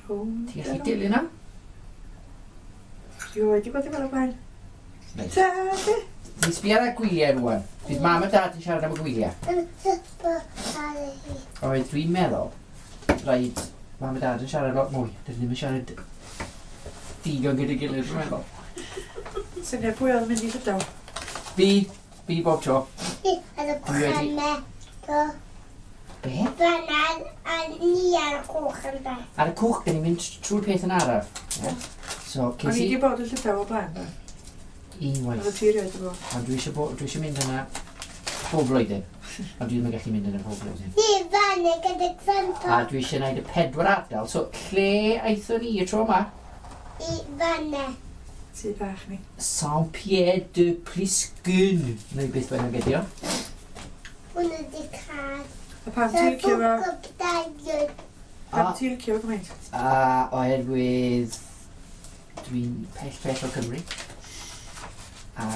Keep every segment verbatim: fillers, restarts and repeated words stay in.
Rownd. Ti'n gallu dilyn am? Dwi wedi bod yn fel o blaen. Reit. Ta, be? Ni'n sbio ar y gwyliau rwan. Fydd Mam a Dad yn siarad am y gwyliau. Oedd, dwi'n meddwl, rhaid Mam a Dad yn siarad lot mwy. Dydyn ddim yn siarad digon gyda'i gilydd, dwi'n meddwl. Syniad pwy oedd yn mynd i Llydaw? Fi, fi bob tro. Ar y Dwi wedi- pramau. Do. Be? Fan'na a ni ar y cwch yn da. Ar y cwch, dyn ni'n mynd trwy'r peth yn araf. Yeah? So, O'n ces i i wedi bod yn Llydaw o blaen, do. unwaith. Oedd y ti erioed wedi bod. Ond dwi eisiau, bo, dwi eisiau mynd yna pob blwyddyn. Ond dwi ddim yn gallu mynd yna pob blwyddyn. Ni fan'na gyda grandpa. A dwi eisiau gwneud y pedwar ardal. So, lle aethon ni y tro yma? I fan'na. Tŷ bach ni. Saint-Pierre de Pliscun. Neu beth bynnag ydi o. Hwnnw di cael. A pam ti'n licio fo? fo? Pam ti'n licio fo gymaint? A oherwydd dwi'n pell pell o Cymru. A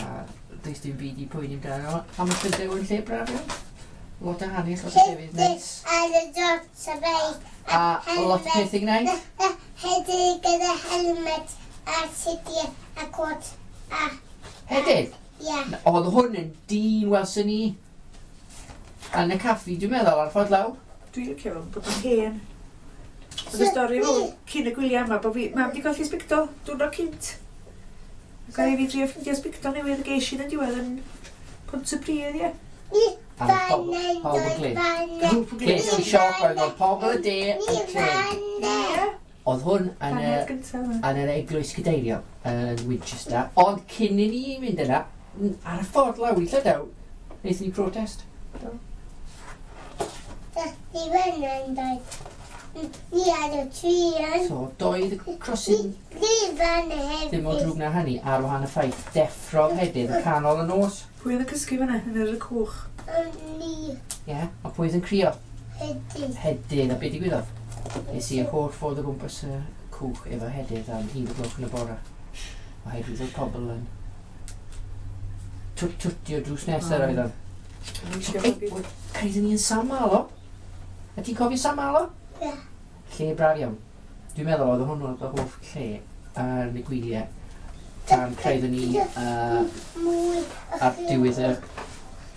does dim byd i poeni amdano. A mae Llydaw yn lle braf iawn. Lot o hanes, lot o llefydd neis. Ar y dot y beic. A lot o pethau i gwneud. Hefyd gyda helmet a sidiau a cot a Hefyd, ia. oedd hwn yn dyn welson ni yn y caffi, dwi'n meddwl, ar ffordd lawr. Dwi'n licio fo, bod o'n hen. Oedd y stori fawr cyn y gwyliau yma, bod fi, Mam di golli sbictol, diwrnod cynt. Ac oedd fi drio ffindio sbictol newydd geis i yn diwedd yn Pontypridd, ie. Ni A pobl- fan'na'n pawb yn dod glin. fan'na. Ces i sioc oedd oedd pobl y de Ni yn clên. fan'na. Ie, Oedd hwn yn y, paned gyntaf yma. yn yr eglwys gadeiriol yn Winchester. Ond cyn i ni mynd yna, n- ar y ffordd lawr i Llydaw, wnaethon ni protest. Ni fan'na'n dod. Ni ar y trin. So, doedd y crossing Ni fan'na hefyd. ddim o drwg na hynny ar wahan y ffaith deffrodd Hedydd y canol y nos. Pwy oedd yn cysgu fan'na yn yr cwch? Ni Ie, yeah, a pwy oedd yn crio? hefyd. Hedydd, a be digwyddodd? Nes i yr holl ffordd o gwmpas y cwch efo Hedydd am un o gloch yn y bore. Oherwydd oedd pobl yn twt twtio drws nesaf O. oedd o'n. O'n i eisiau Ei, fo gyd. Cyrraeddon ni yn Saint Malo. A ti'n cofio Saint Malo? Ie. Lle braf iawn. Dwi'n meddwl oedd hwnnw oedd y hoff lle ar y gwyliau tan cyrraeddon ni uh, Mwy. ar diwedd y,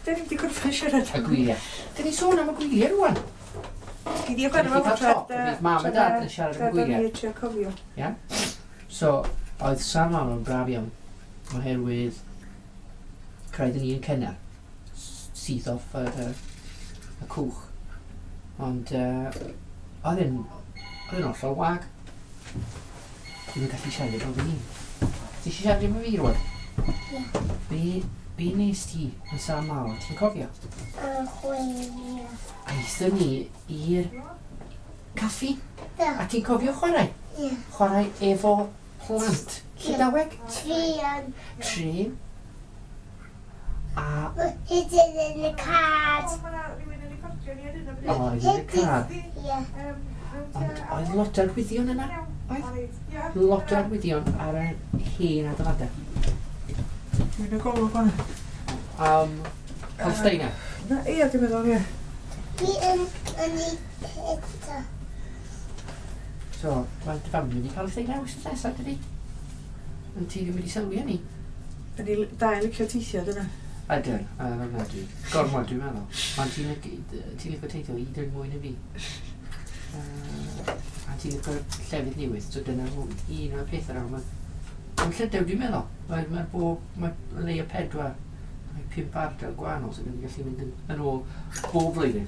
Da ni'n di gorffen siarad. y gwyliau. Dyn ni sôn am y gwyliau rwan. Gyd i chwarae Dyn ni fo cael tra... top, fydd Mam a Dad yn siarad am y gwyliau. Tra trio cofio. So, oedd Saint Malo yn braf iawn oherwydd cyrraeddon ni yn cynnar. s- Syth off yr, y, y cwch. Ond uh, oedd e'n oedd e'n hollol wag. Ddim yn gallu siarad efo fi. Ti eisiau siarad efo fi rwan? Ie. Be, be nes ti yn Saint Malo? Ti'n cofio? Yn chwilio. Aethon ni i'r caffi. Do. A ti'n cofio chwarae? Ie. Chwarae efo plant. Llydaweg? Trin. Trin. A Hydyn yn y car. O, ma' 'na rhywun yn recordio ni ar hyn o bryd. oedd yn y car. Ie. Ond oedd lot o arwyddion yna. Oedd? Lot o arwyddion ar y hen adeiladau. Dwi'n y golwg hwnna. Um, Palestina. Na, ie, dwi'n meddwl, ie. Ni yn yn ei eto. So, mae dy fam yn mynd i Palestina wythnos nesaf, dydi? Ond ti ddim wedi sylwi hynny? Da ni dau licio teithio, dyna. Ydyn, a yna dwi. Gormod dwi'n meddwl. Ond ti'n licio ti'n licio teithio hyd yn mwy na fi. Uh, a ti'n licio llefydd newydd, so dyna un o'r pethau nawr. Mae Yn Llydaw dwi'n meddwl. Mae, mae bob, mae leia pedwar, mae pump ardal gwahanol sy'n so gallu mynd yn, yn ôl bob blwyddyn.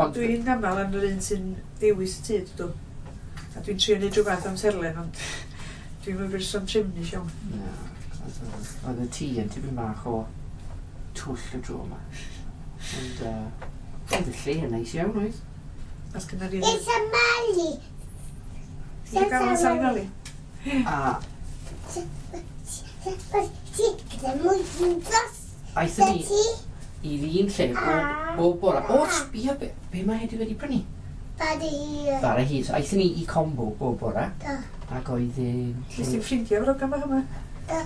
Ond Dwi'n aml yn yr un sy'n dewis y tŷ, dydw. A dwi'n trio neud rhywbeth amserlen, ond dwi'n mynd berson trefnus iawn. Na, oedd oedd y tŷ yn tipyn bach o twll y tro yma. Ond uh, oedd y lle yn neis iawn, oedd? As gynna ni... It's a Mali. Ti'n gael yn Sali Mali? A Ti gyda mwy yn dros. aethon ni Ti i'r un lle bob, bob bora. O, sbia, be, be mae heddiw wedi prynu? Bara hir. Bara hir. So, aethon ni i Combo bob bora. Do. Ac oedd yn... Nes ti'n ffrindiau efo'r hogan bach yma? Do.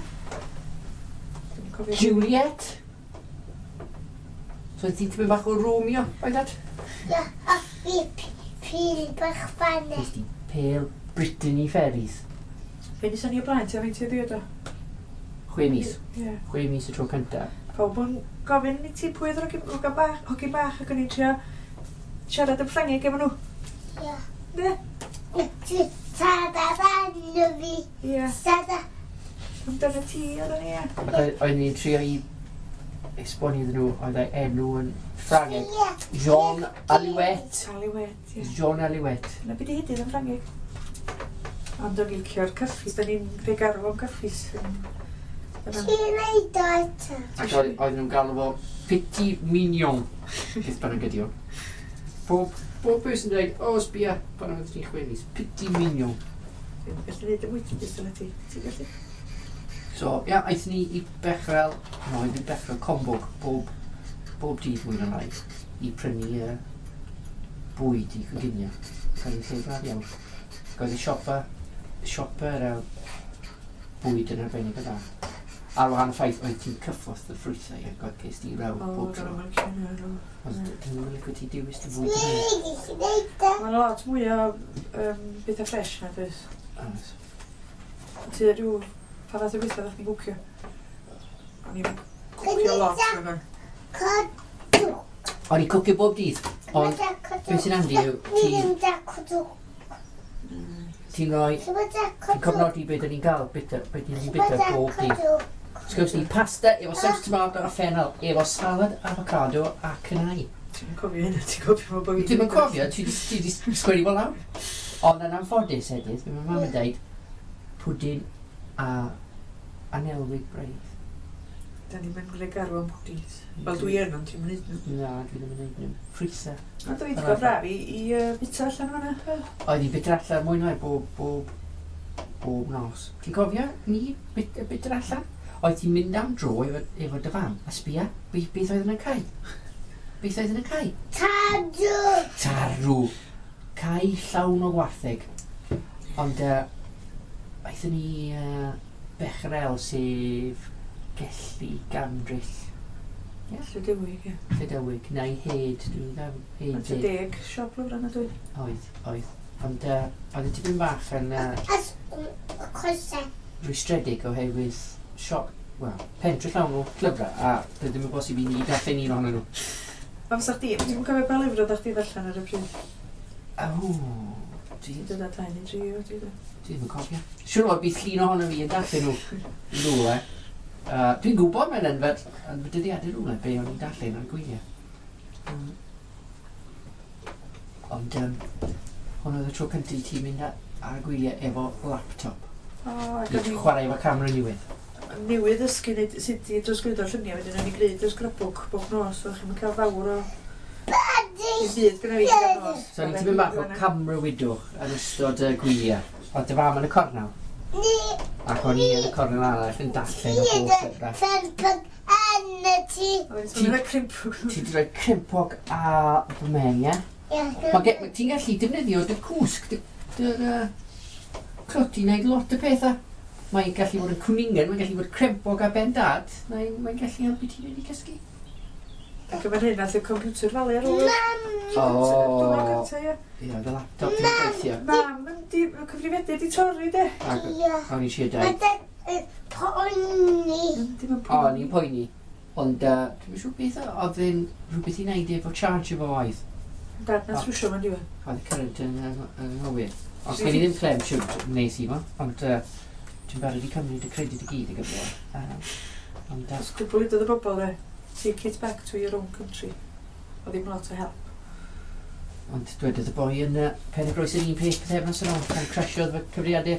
Dwi'n cofio. Juliet. So oedd ti'n tipyn bach o Romeo, oedd that? Ia, a fi pil bach fanna. Nes ti pêl Brittany Ferries. Fe nes ni o blaen, ti'n faint i ddiod o? Chwe mis. Ie. Chwe mis y tro cyntaf. Pawb yn gofyn i ti pwy oedd yr hogyn hogan bach, hogyn bach ac o'n i'n trio siarad yn Ffrangeg efo nhw. Ie. Ne? Ti sada fanno fi. Ie. Sada. Amdano ti oedd o'n i, ie. Ac oedd- Oedden ni'n trio i esbonio iddyn nhw oedd ei enw yn Ffrangeg. Ie. Jean Alouette. Alouette, ie. Jean Alouette. Na beth i hidydd yn Ffrangeg. Ond o'n i'n licio'r caffis, da ni'n rhoi garw am caffis. Dyna. Ti'n neud o eto. Ac oedd oedden nhw'n galw fo Petit Mignon. Beth bynnag ydi o. Bob, bob person yn dweud, o, sbia, pan oedd ti'n chwe mis, Petit Mignon. Dwi'n gallu neud y wyt yna ti. Ti'n gallu? So, ia, aethon ni i Bechrel, no, i Bechrel Combwg, bob, bob dydd mwy na lai, i prynu uh, bwyd i coginio. Cael ei lle braf iawn. Ac oedd y siopa, siopa yr uh, bwyd yn arbennig o dda. Ar wahan y ffaith, oedd ti'n cyffwrdd y ffrwythau ac oedd ces di raw O, bob tro. dyna mae'n licio hynna. Ond dyn nhw'n licio ti dewis dy fwyd yn Ti'n gallu neud o. Mae'n lot mwy o um, bethau ffres na, dweud. Oes. Ti rhyw, pa fath o bethau ddech chi'n gwcio? O'n i'n cwcio lot. O'n Codw. O'n i'n cwcio bob dydd, ond beth sy'n handi yw Ni ti- ddim da codw. ti'n rhoi, Ti'n da ti'n codw. cofnodi beth 'dan ni'n gael, bita, beth ni'n Ti'n bita da bob dydd. codw. So ni pasta efo saws tomato a ffenol, efo salad, avocado a cynnau. Ti'n cofio hynna, ti'n cofio fo bod fi... Dwi'n yn cofio, ti di, ti di sgwennu fo lawr. Ond yn anffodus hefyd, mae mam yn dweud pwdin a anelwig braidd. Da ni'n mynd rhaid garw am pwdins. Wel, dwi yn, ond ti'n mynd nhw. Na, dwi ddim yn neud nhw. Ffrwythau. Ond dwi wedi cael braf i, i uh, bita allan o'na. Oedd hi'n bita allan mwy na bob, bob, bob nos. Ti'n cofio ni bit, bita allan? Oedd ti'n mynd am dro efo, efo dy fam a sbia, beth, beth oedd yn y cae? Beth oedd yn y cae? Tadw. Tarw. Cae llawn o gwartheg. Ond uh, aethon ni uh, Bechrel sef Gelli Gandryll. Ie, Llydewig, ie. Llydewig, neu Hed, dwi'n meddwl. Mae'n Hed. deg siop lyfrau na dwi. Oedd, oedd. Ond uh, oedd y tipyn bach yn uh, As coesau. rwystredig oherwydd siop, wel, pentre llawn o llyfrau, a doedd ddim yn bosib i ni darllen un ohonyn nhw. A fysa chdi, ti'n cofio pa lyfr oeddech chdi ddarllen ar y pryd? O, dwi, Ti'n dod â dau neu dri o, dwi dwi ddim yn cofio. Siwr o fod bydd llun ohono fi yn darllen nhw rhywle. Uh, dwi'n gwybod mae'n yn fy, yn fy dyddiadur rhywle be o'n i'n darllen ar gwyliau. Mm. Ond um, hwn oedd y tro cyntaf i ti mynd a- ar y gwyliau efo laptop. O, ac I o'n i chwarae efo camera newydd. newydd ddysgu neud sut i drosglwyddo lluniau, wedyn o'n i'n gwneud y scrapbook bob nos, so chi'n cael fawr o Buddy. dim byd gyda fi gyda'r nos. So o'n i'n tipyn bach o camera widwch yn ystod y gwyliau. Oedd dy fam yn y cornel, Ni. ac o'n i yn y cornel arall yn darllen o bob llyfrau. Crempog yn y tŷ. Ti'n rhoi crimpog. Ti wedi rhoi crempog a fy mhen, ie? Ie. Ma' ge- Ti'n gallu defnyddio dy cwsg, dy, dy, dy clwt i wneud lot o pethau. Mae'n gallu bod yn cwningen, mae'n gallu bod crempog a ben dad, mae'n mae gallu helpu ti fynd i cysgu. Ac efo'n hyn, nath y computer falu ar ôl. Mam. O. Diwrnod gynta, ie. Ie, oedd y laptop ddim yn gweithio. Mam yn di, y cyfrifiadur di torri, de. Ac Ie. o'n i eisiau Mae dweud, dy poeni. Dim yn o, o'n i'n poeni. Ond uh, dwi'n siŵr beth oedd yn rhywbeth i wneud efo charge efo oedd. Dad na trwsio ma'n diwedd. Oedd y current yn yn- yn anghywir. Ond gen i ddim clem siwt wnes i fo, ond uh, dwi'n barod i cymryd y credit i gyd i gyfle. Uh, ond uh, Os cwbl i y bobl, de. Take it back to your own country. Oedd ddim lot o help. Ond dwedodd y boi yn uh, Pen y Groes yr un peth pythefnos yn ôl pan crasiodd fy cyfrifiadur.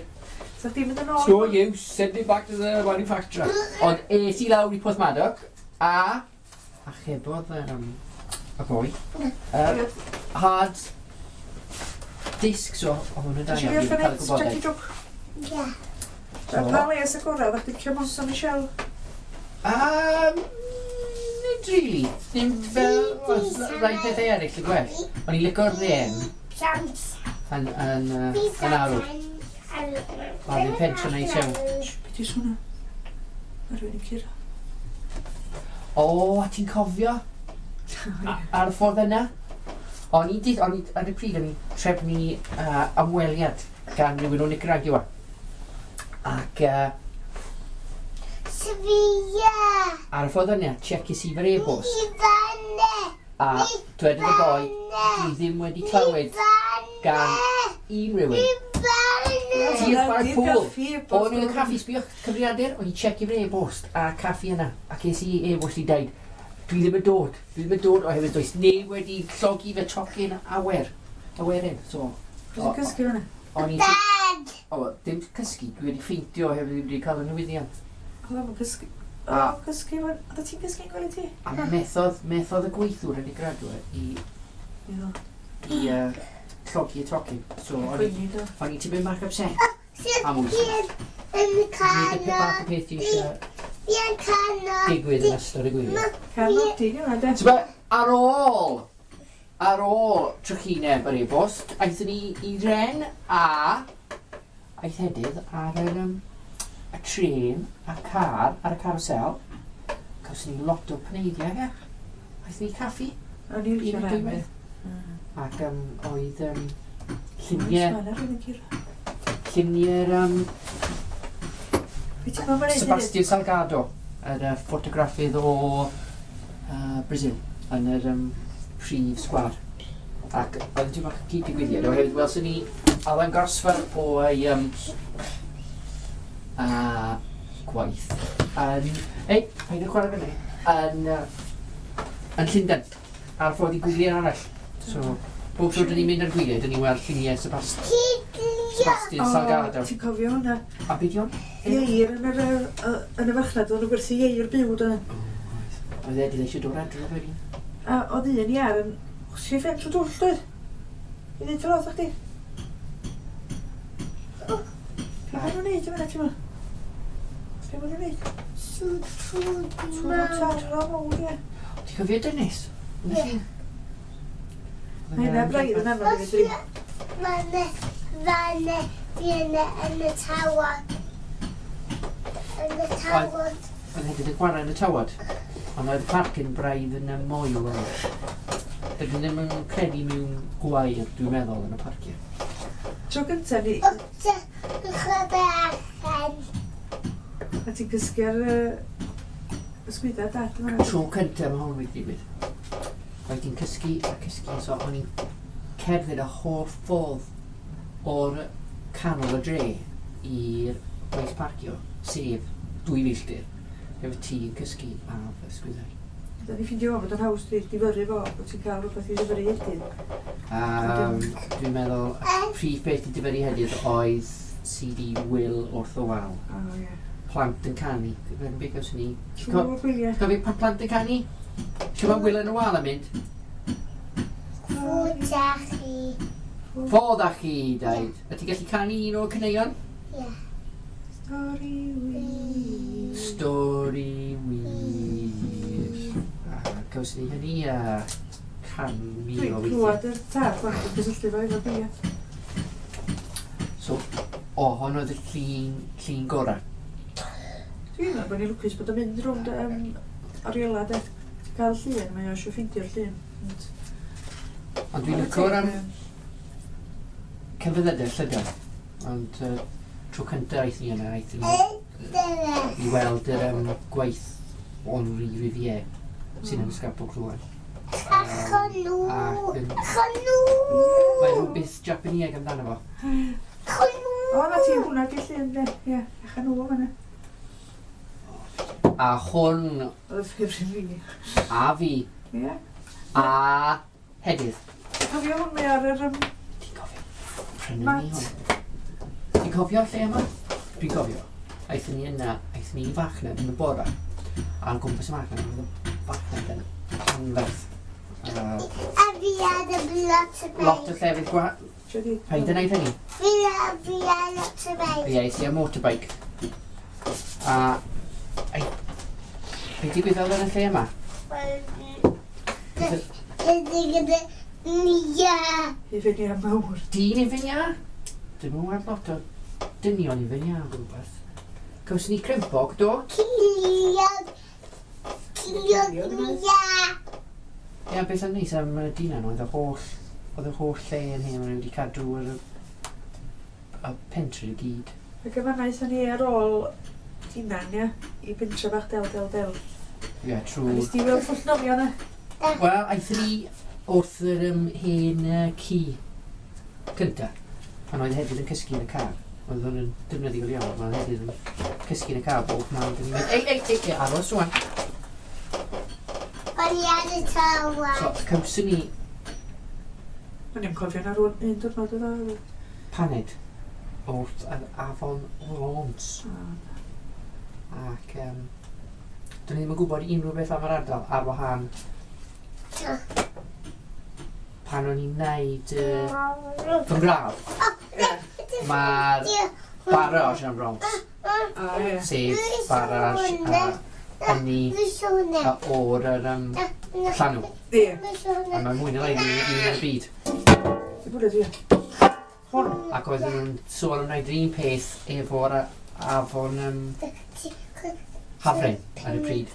So chdi'n mynd yn ôl? No use, send it back to the manufacturer. Ond es i lawr i Porthmadog a achebodd um, y boi. Uh, hard disk, so oedd hwn yn da Ti iawn, eisiau fi wedi fi cael y orffen Jackie gwybodaeth. Joke? Ie. So- Pa les agorau, ddech chi'n licio Mont Saint Michel? Um, nid really. Ddim fel oedd rai pethau eraill y gwell. O'n i'n licio'r Ren Plant. yn, yn, uh, yn arw. Oedd yn pentre neis iawn. Be di swnna? Mae rhywun yn curo. O, a ti'n cofio? A- Ar y ffordd yna? O'n i, di, o'n i, ar y pryd, o'n i'n trefnu uh, ymweliad gan rhywun o Nicaragua. Ac uh, Sfia. Ar y ffordd yna, checies i fy'r e-bost. A dwedodd y boi, dwi ddim wedi clywed gan unrhyw un. Ti yn chwarae pŵl. O'n i'n y caffi, sbïo'ch cyfrifiadur, o'n i'n checio fy'r e-bost a caffi yna. A ces i e-bost i dweud, dwi ddim yn dod, dwi ddim yn dod oherwydd does neb wedi llogi fy tocyn awyr. Awyren, so... Ti'n cysgu fyna? O'n i'n... Dad! O, dim cysgu, dwi wedi ffeindio oherwydd ddim wedi cael y newyddion. Oedd o'n cysgu... A- Oedd o'n cysgu... Oedd ti'n cysgu'n gwely ti? A methodd, methodd y gweithiwr yn Nicaragua i, Ie. i uh, llogi y tocyn. So, o'n i- Poeni do. o'n i tipyn bach upset. Am wythnos. Yn Nid y peth bach o canol. peth ti eisiau Fi'n canol. digwydd yn ystod y gwyliau. Cael nodyn yma, de. T'bo, ar ôl, ar ôl trychineb yr e-bost, aethon ni i Ren a aeth Hedydd ar yr, um, y trên a car ar y carousel. Cawson ni lot o paneidiau, ie. Aethon ni caffi. O'n i'n Un licio o'r Ren. diwedd. Ac um, oedd um, Lluniau. lluniau, lluniau'r um, Be ti'n meddwl mae'n neud? Sebastian Salgado, yr uh, ffotograffydd o uh, Brazil, yn yr um, prif sgwâr. Ac oedd yn bach cyd-digwyddiad, oherwydd welson ni Alan Gosford o'i um, uh, gwaith yn... Ei, paid â chwarae fyny. Yn, uh, yn Llundain, ar ffordd i gwyliau arall. So, bob tro dyn ni'n mynd ar gwyliau, dyn ni'n weld lluniau Sebast Sebastian O, Salgado. Ti'n cofio hwnna? A beth yw? Ieir yn yr, yy, yn y farchnad, oedd nhw'n gwerthu ieir byw, doedd. Oedd Eddie eisiau dod adre wedyn. A oedd un iar yn chwsio ffen trwy dwll, doedd? I ddweud fel oedd chdi? Be maen nhw'n neud yma, ti'n meddwl? Be maen nhw'n neud? Sŵ Mawr. Taro mawr, ie. Ti'n cofio Dennis? Ie. Mae hynna braidd yn anodd i fi drin. Fanne, fanne, fi'n yn y tawod. Yn y tawod. Oedd hefyd yn chwarae yn y tywod. Ond oedd y parc yn braidd yn y moel oedd. Dydyn ddim yn credu mewn gwair, dwi'n meddwl, yn y parciau. Tro gyntaf ni, Wrth y chwarae allan. a ti'n cysgu ar yy, ysgwydda dad yma. Tro cyntaf mae hwn wedi digwydd. Oedd ti'n cysgu a cysgu, so o'n i'n cerdded y holl ffordd o'r canol y dre i'r maes parcio, sef dwy filltir, efo ti yn cysgu ar fy ysgwyddau. Da ni ffindio fo bod yn haws di difyrru fo, bod ti'n cael rhywbeth i ddifyrru heddiw. Um, dwi'n meddwl, y prif beth i difyrru heddiw oedd C D Wil wrth y wal. O, ie. Plant yn canu. Fe'n beth gawson ni. Ti'n co- Trwy'r gwyliau. Cofio pa plant yn canu? Siw mae Wil yn y wal yn mynd? Fwyd â chi. Ffodd â chi, daid. A ti'n gallu canu un o'r caneuon? Ie. Stori wir. Stori wir. A gawson ni hynny a can mil Dwi'n o weithiau. clywed yr tad bach yn cysylltu fo efo gwyliau. So, o, hon oedd y llun, llun gorau. Dwi'n meddwl bod ni'n lwcus bod o'n mynd rownd um, oriela, de. Ti'n cael llun, mae o eisiau ffeindio'r llun. Ond- Ond dwi'n licio'r am celfyddydau llydan. Ond uh, tro cyntaf aethon ni yna, aethon ni i weld yr um, gwaith Henri Rivière sy'n yn Ysgafbwg rŵan. Achon nhw. Ac yn- Achon nhw. Mae rhywbeth Japanieg amdano fo. Achon nhw. O, na ti, hwnna di llun, de. Ie, achan nhw fan'na. A hwn Oedd y ffefryn fi. a fi Ie. a Hedydd. Cofio hwn mae ar yr... Um, Ti'n cofio? Prynu ni Mat. hwn. Ti'n cofio'r lle yma? Dwi'n cofio. Aethon ni yna, aethon ni i farchnad yn y bora. A o gwmpas y farchnad, oedd y farchnad yn anferth. Uh, A fi ar y lot o lot o beic. llefydd gwa... Trio di... Paid yn neud hynny. Fi a fi ar lot o beic. Ie, es i ar motorbike. A... Ai... Be digwyddodd yn y lle yma? Wel, ydy gyda Nia. I fyny am mawr. Dyn i fyny a? Dwi'n mwyn weld lot o dynion i fyny a o gwmpas. Cawson ni crempog, do? Ciliog. Ciliog Nia. Ie, beth yn neis am y dyna oedd y holl, oedd y holl lle yn hyn, maen nhw wedi cadw yr, y pentre i gyd. Ac yma aethon ni ar ôl Dinan, ia, i pentre bach del, del, del. Ie, yeah, A trwy... nes di weld pwll nofio na? Wel, aethon ni wrth yr um, hen uh, ci cynta, pan oedd hefyd yn cysgu yn y car. Oedd hwn yn defnyddiol iawn, oedd hefyd yn cysgu yn y car bob man. Dyn ni'n mynd, ei, ei, ei, ei, aros rwan. O'n i ar y tywel. So, cawson ni O'n i'n cofio na rwan un diwrnod oedd o. paned wrth yr afon Rhôns. Ac um, dyn ni ddim yn gwybod unrhyw beth am yr ardal ar wahân pan o'n i'n neud uh, fy ngradd. Mae'r barrage am Rhôns, O, ie. sef barrage uh, ynni uh, o'r yr, um, llanw. Ie. A mae mwy na lai un yn y byd. Di bwyd dwi. Hwn. Ac oedden nhw'n sôn am wneud yr un peth efo'r a- afon um, Hafren ar y pryd.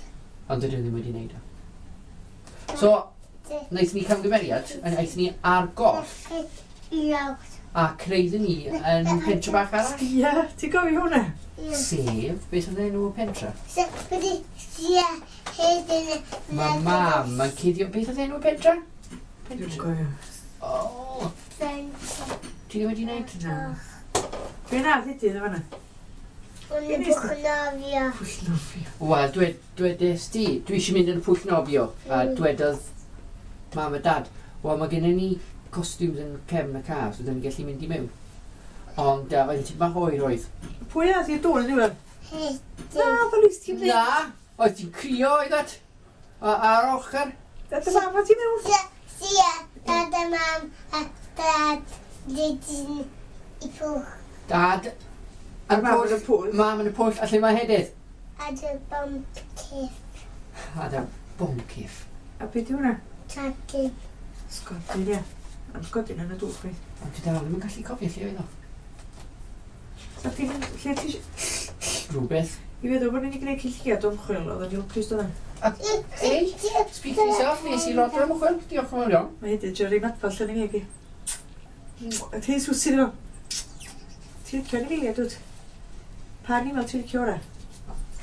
Ond dydyn nhw ddim wedi wneud o. So, wnaethon ni camgymeriad, a aethon ni ar goll a creidden ni yn pentre bach arall. Ie, ti'n gofio hwnna? Sef, beth oedd enw y pentre? Mae mam yn cuddio... Beth oedd enw y pentre? Dwi'n Pentre. cofio. O, ti ddim wedi wneud? Na. Be na ddudydd o fanna? O'n i'n pwll nofio. Pwll nofio. Wel, dwed, dwedais di, dwi eisiau mynd yn y pwll nofio. A dwedodd mam a dad, wel, mae gennym ni costumes yn cefn y car, so dyn ni'n gallu mynd i mewn. Ond uh, oedd hi'n tipyn bach oer oedd. Pwy ath i'r dŵr yn diwedd? Na, ddolis ti'n mynd. Na, oedd ti'n crio oedd at? A, ar ochr? Da dy fam o ti mewn? Sia, dad a mam a dad dydyn i pwll Dad, ar y Mam pwll. yn y pwll. Mam yn y pwll, a lle mae Hedydd? a dy boncif A da boncyff. A be di hwnna? tacyn. Sgodyn, ie. Am sgodyn yn y dŵr, chwaith. Ond dwi dal ddim yn gallu cofio lle oedd o. Sa chdi'n mynd, lle ti isio- Rhywbeth. I feddwl bod ni'n gwneud cylliad o ymchwil, oedd o'n lwcus doedd. Ei, speak for yourself, nes i lot o ymchwil. Diolch yn fawr iawn. Mae hyd yn Jerry Madfall yn ei megi. A ti'n swsi iddo fo? Ti'n licio anifeiliaid, dwt? Pa animal ti'n licio ora?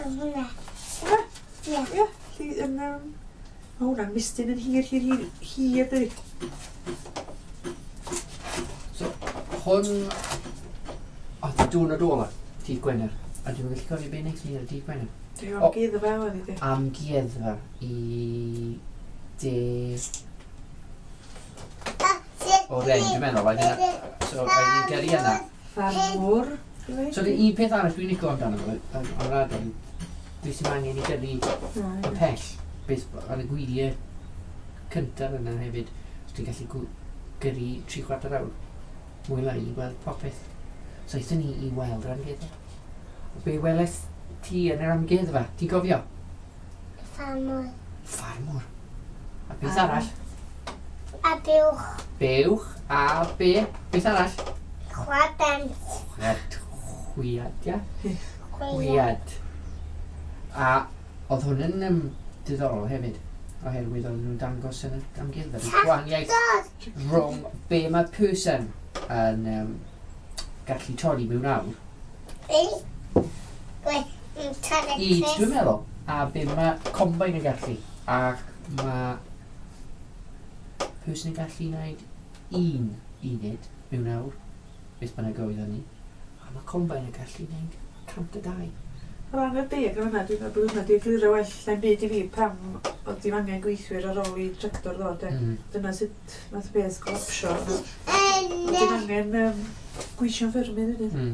Hwnna. Hwnna? Ie. Ie. Lli, yn, um, mae hwnna'n mistyn yn hir, hir, hir, hir, dydi? So, hwn... Oedd y diwrnod ola, dydd Gwener. A dwi'n gallu cofio beth wnaethon ni ar y dydd Gwener. Dwi'n O. amgueddfa oedd i di. Amgueddfa i de... O Ren, dwi'n meddwl. Oedd yna... So, oedd ni'n gyrru yna. Ffarmwr. So, the un peth arall dwi'n licio amdano fo, am am yr ardal, dwi sy'n angen i gyrru y pell. Beth ar y gwyliau cyntaf yna hefyd, so ti'n gallu gw- gyrru tri chwarter awr mwy lai i weld popeth. So aethon ni i weld yr amgueddfa. Be weles ti yn yr amgueddfa? Ti'n gofio? Ffarmwr. Ffarmwr. A beth A- arall? A buwch. Buwch a be? Beth arall? Chwaden. Chwiad. Chwiad, ia? Chwiad. Chwiad. A oedd hwn yn um, diddorol hefyd, oherwydd oedden nhw'n dangos yn y amgueddfa. y Gwahaniaeth Dod. rhwng be mae person yn um, gallu torri mewn awr Ei. Gwe. Yn torri i, dwi'n meddwl, a be mae combine yn gallu. Ac mae person yn gallu gwneud un uned mewn awr, beth bynnag oedd hynny. A mae combine yn gallu gwneud cant a dau. O ran y deg yn fan'na, dwi'n meddwl bod hwnna 'di egluro well na'n byd i fi pam oedd dim angen gweithwyr ar ôl i tractor ddod, de. Mm. Dyna sut nath y beth golapsio. Oedd dim angen um, gweision ffermydd wedyn. Mm.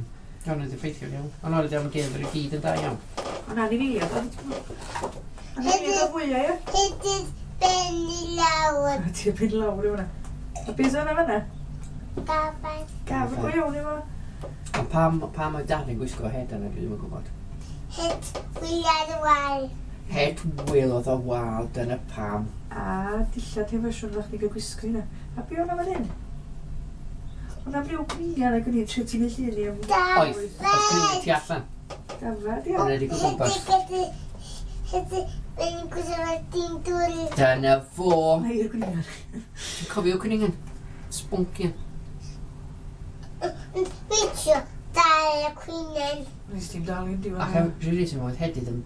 Ond oedd effeithiol iawn. Ond oedd am gyfer i gyd yn da iawn. Ond anifeiliaid, oedd... Anifeiliaid oedd fwyaf, ie? Hyd ben i lawr. A ti'n mynd lawr i hwnna. A beth oedd yna fan'na? Gafal. Gafr go iawn efo. Ond pam, pam oedd Dad yn gwisgo het yna, dwi ddim yn gwybod. Het wyliad wal. Het Wil oedd o wal, dyna pam. A dillad hen ffasiwn oeddach chdi gael gwisgo hynna. A be o'na fan hyn? O'na ryw gwnian ag o'n i'n trio tynnu llun i am Oedd, oedd cwningan tu allan. dafad, ia. Yn edrych o gwmpas. Hyd ben gwsio dyn dŵr. Dyna fo. Mae i'r gwnian. Ti'n cofio cwningan? Sboncian. Weithio, dal y cwinen. Nes ti'n dal i'n diwedd. Ac am rhyw reswm oedd Hedydd yn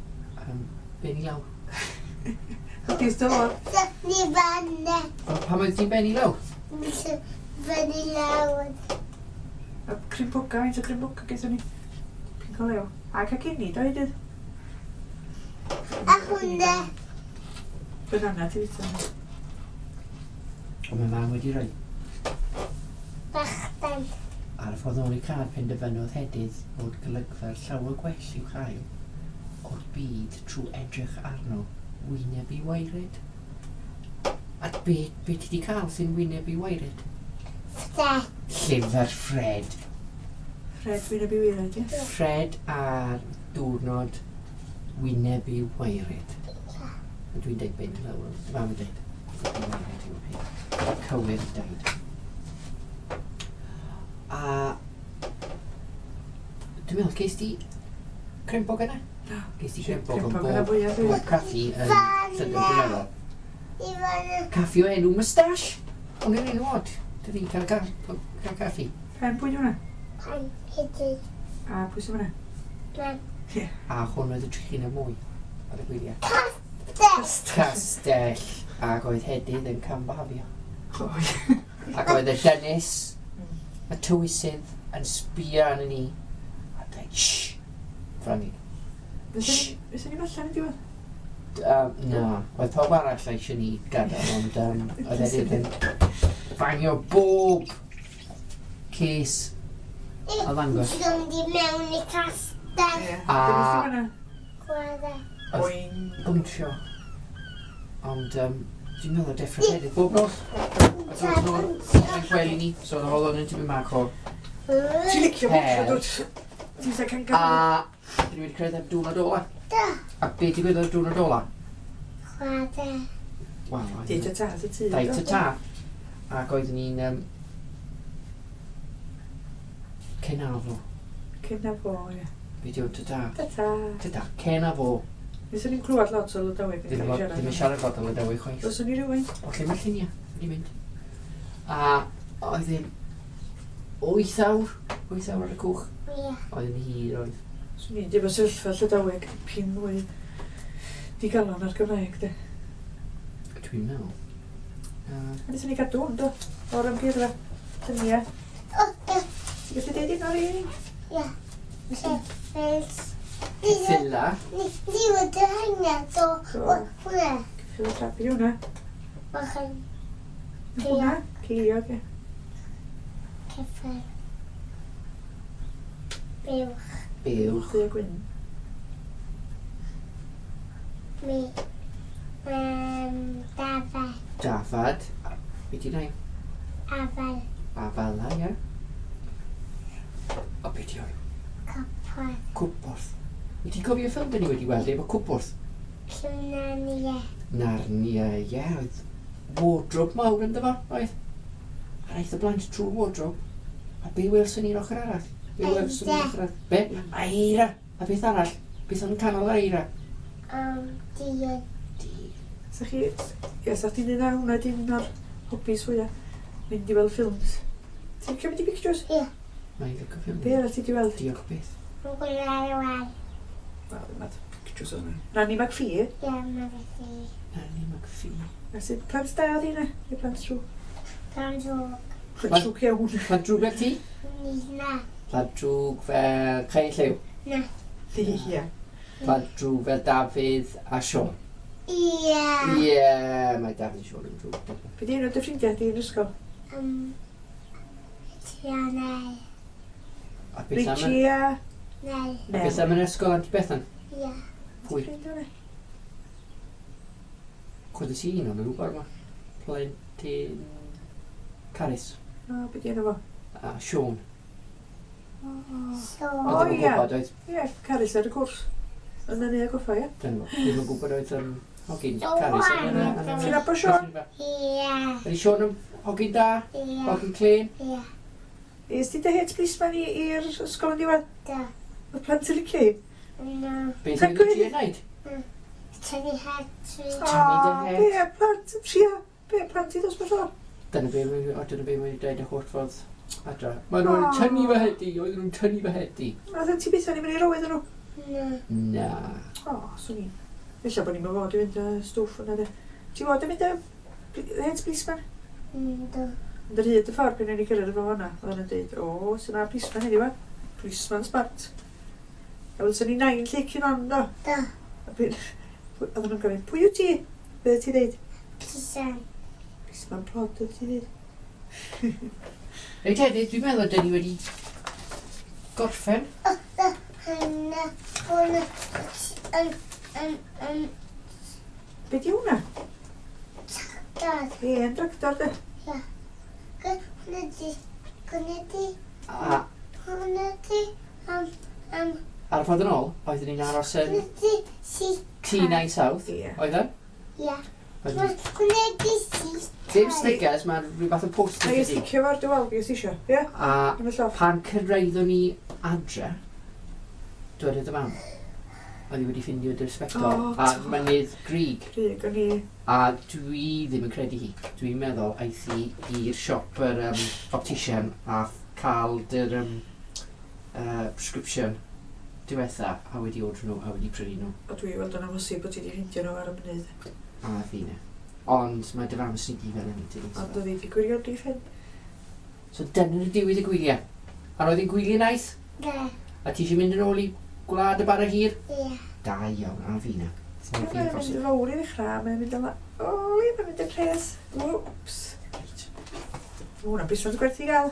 um, benni lawr. Chdi dylod. So, ni fanna. O, Pam oedd ti'n benni lawr? Fyny lawr. A crimpoga, faint o crimpoga gaethon ni. Pinc o lew. A cacenni, do Hedydd? A hwnna. Banana ti fita. Ond mae mam wedi rhoi Bachdan. ar y ffordd ôl i car penderfynodd Hedydd fod golygfa llawer gwell i'w chael o'r byd trwy edrych arno wyneb i waered. A be, be ti di cael sy'n wyneb i waered? Fred. Llyfr Fred. Fred wyneb i waered, ie? Fred ar diwrnod wyneb i waered. A dwi'n deud ben lawr, mam yn deud. Wyneb i waered yw'r peth. Cywir i deud. A dwi'n meddwl, ces di crempog yna? Do. Ces di crempog yn Crempog yna bob, fwyaf, bob caffi yn Llydan, dwi'n meddwl. I fanna. Caffi o enw Moustache. Ond yn enw od. Dydy cael, ca cael caffi. Pen pwy di hwnna? Pan Hedydd. A pwy sy'n hwnna? Mam. A hwn oedd y trychineb mwy ar y gwyliau. Castell. Castell. Ac oedd Hedydd yn cambafio. O, ie. Ac oedd y dynes, y tywysydd, yn sbio arno ni. A dweud, shh, Franny. Fyswn ni'n allan yn diwedd? Um, na, oedd pawb arall eisiau ni gadael, ond um, oedd Hedydd yn bangio bob ces a ddangos. Ti'n mynd i mewn i castell. Ie. A- Dyna sy'n hwnna? Chwarae. Oedd Boing. bwntio. Ond um, dwi'n meddwl deffro Hedydd bob nos. Ac oedd nhw'n yn gwely ni, so oedd holon yn tipyn bach o... Ti'n licio Her. bwntio, dwt? Ti'n sa can A dyn ni wedi cyrraedd ar diwrnod ola. Da. A be digwyddodd ar diwrnod ola? Chwarae. Wel, oedd Deud y ta, y tŷ. Daid ta ta. Ac oeddwn ni'n um, Cenafo. Cenafo, ie. Be di o ta ta? Ta ta. Ta ta, cenafo. Neswn ni'n clywed lot o Lydaweg yn Ddim cael ei yn siarad. ddim yn siarad lot o Lydaweg chwaith. Doswn ni rhywun. O lle mae'r lluniau? Wedi mynd. A oedd hi'n wyth awr, wyth awr ar y cwch. Ie. Oedd yn hir oedd. Swn i'n dweud bod sefyllfa Llydaweg pin mwy digalon ar Gymraeg, de. Dwi'n meddwl. Uh, A neswn ni gadw hwn, do, o'r amgueddfa. Lluniau. O, ie. Ti'n gallu deud un o'r un? Ie. Ceffyls. Ceffyla. Ni ni wedi hynna, do. Do. Hwnna. Ceffyl y trap i hwnna. Bach yn Hwnna? Ceiliog, ie. ceffyl. Buwch. Buwch. Du a gwyn. Mi. Um, dafad. Dafad. Be di nain? Afal. Afala, ie. O, be di o'i? Copwrdd. Cwpwrdd. Wyt ti'n cofio ffilm dyn ni wedi weld efo cwpwrdd? Cwnania. Narnia, ie. Oedd wardrobe mawr ynddo fo, oedd? A aeth y blant trwy'r wardrobe. A be welson ni'r ochr arall? Be welson ni'r ochr arall? Be? Eira! A beth arall? Beth o'n canol yr eira? Um, diod. Di. Sa chi, ie, sa chdi'n un hwnna di un o'r hobbies fwyaf. Mynd i weld ffilms. Ti'n licio mynd i pictures? Ie. Mae'n licio ffilm. Be arall ti di weld? Diolch byth. Mae'n gwylio ar y wal. Wel, ddim at pictures o'n. Nanny McPhee. Ie, mae'n felly. Nanny McPhee. A sydd plant da oedd hynna? Neu plant trw? Plant drwg. Plant drwg iawn. Plant drwg fel ti? Ni na. Plant drwg fel Cae Llew. Na. Ie. Plant drwg fel Dafydd a Siôn. Ie. Ie, mae Dafydd a Siôn yn drwg. Be di enw dy ffrindiau di yn ysgol? Um, Tianau. A beth am yn, Richie a... Neu. a beth am yn ysgol Anti Bethan? Ie. Pwy? Ffrind hwnna? Cwrdd i un o'n nhw yma. Plentyn Carys O, be di enw fo? a Siôn. O, So. O, Oedd ddim yn ie. gwybod oedd, Ie, Carys ar y cwrs. Yn y neu goffa, ie? dyna fo, ddim yn gwybod oedd um, hogyn So Carys. yn- yn- yn- yn- Ti'n nabod Siôn? Ie. Ydy Siôn yn hogyn da? Ie. Hogyn clean? Ie. Is ti dy het policeman i i'r ysgol yn diwedd? Do. Oedd plant yn licio hi? Na. Beth Nac oedd oedd. ti'n gwneud? Tynnu het fi. Tynnu dy O, het. be, plant yn trio. Be, plant i ddosbarth o'r? Dyna be mae, o, dyna be mae wedi dweud y holl ffordd Adra. Mae nhw'n O. tynnu fy het i, oedden nhw'n tynnu fy het i. Oedd ti byth o'n i'n mynd i roedd nhw. Na. Na. O, swn i'n. Ella bod ni'n fod i fynd y stwff yna de. Ti fod yn mynd y het policeman? Yndw. Ond ar hyd y ffordd pan o'n i cyrraedd efo hwnna, oedd nhw'n dweud, o, sy'n na policeman heddiw, wa? Policeman smart. A welson ni nain lleic yn on, do. Do. A pwy- Oedden nhw'n gofyn, pwy wyt ti? Be oedd ti dweud? Pisan. Policeman plod, oedd ti dweud. Reit hefyd, dwi'n meddwl dyn ni wedi gorffen. O, do. Hynna. Hwnna. Yn, yn, yn, Be di hwnna? dod. Hen tractor, de. Hwnna di. Hwnna di. A Hwnna di. Um, um, ar y ffordd yn ôl, oeddwn ni'n aros yn hwnna di. Si. T nine South, Ie. oedd e? Ia. Oedden ni- Hwnna di si. Dim stickers, mae'n rhyw fath o post-it Na i ydi. sticio fo ar dy wal, fi os isio. Ie? A Yn y llofft. pan cyrraeddon ni adre, dwedodd y mam, oedd hi wedi ffindio dy'r sbectol O, a do. mynydd Grug. Grug, o'n i... A dwi ddim yn credu hi. Dwi'n meddwl aeth hi i'r siop yr um, optician a cael dy'r um, uh, prescription diwetha a wedi ordro nhw a wedi prynu nhw. O dwi weld yn amhosib bod ti wedi ffindio nhw ar y mynydd. A fi ne. Ond mae dy fam yn sneaky fel hynny, tydi? Ond oedd hi wedi gwirioni ffen. So dyna'r diwedd y gwyliau. A roedd hi'n gwyliau neis? Da. A ti eisiau mynd yn ôl i gwlad y bara hir? Ia. Da iawn, a fi na. Mae'n mynd yn fawr i ddechrau, mae'n mynd yn... O, mae'n mynd yn pres. Whoops. Reit. Mae hwnna'n busnes gwerth i gael.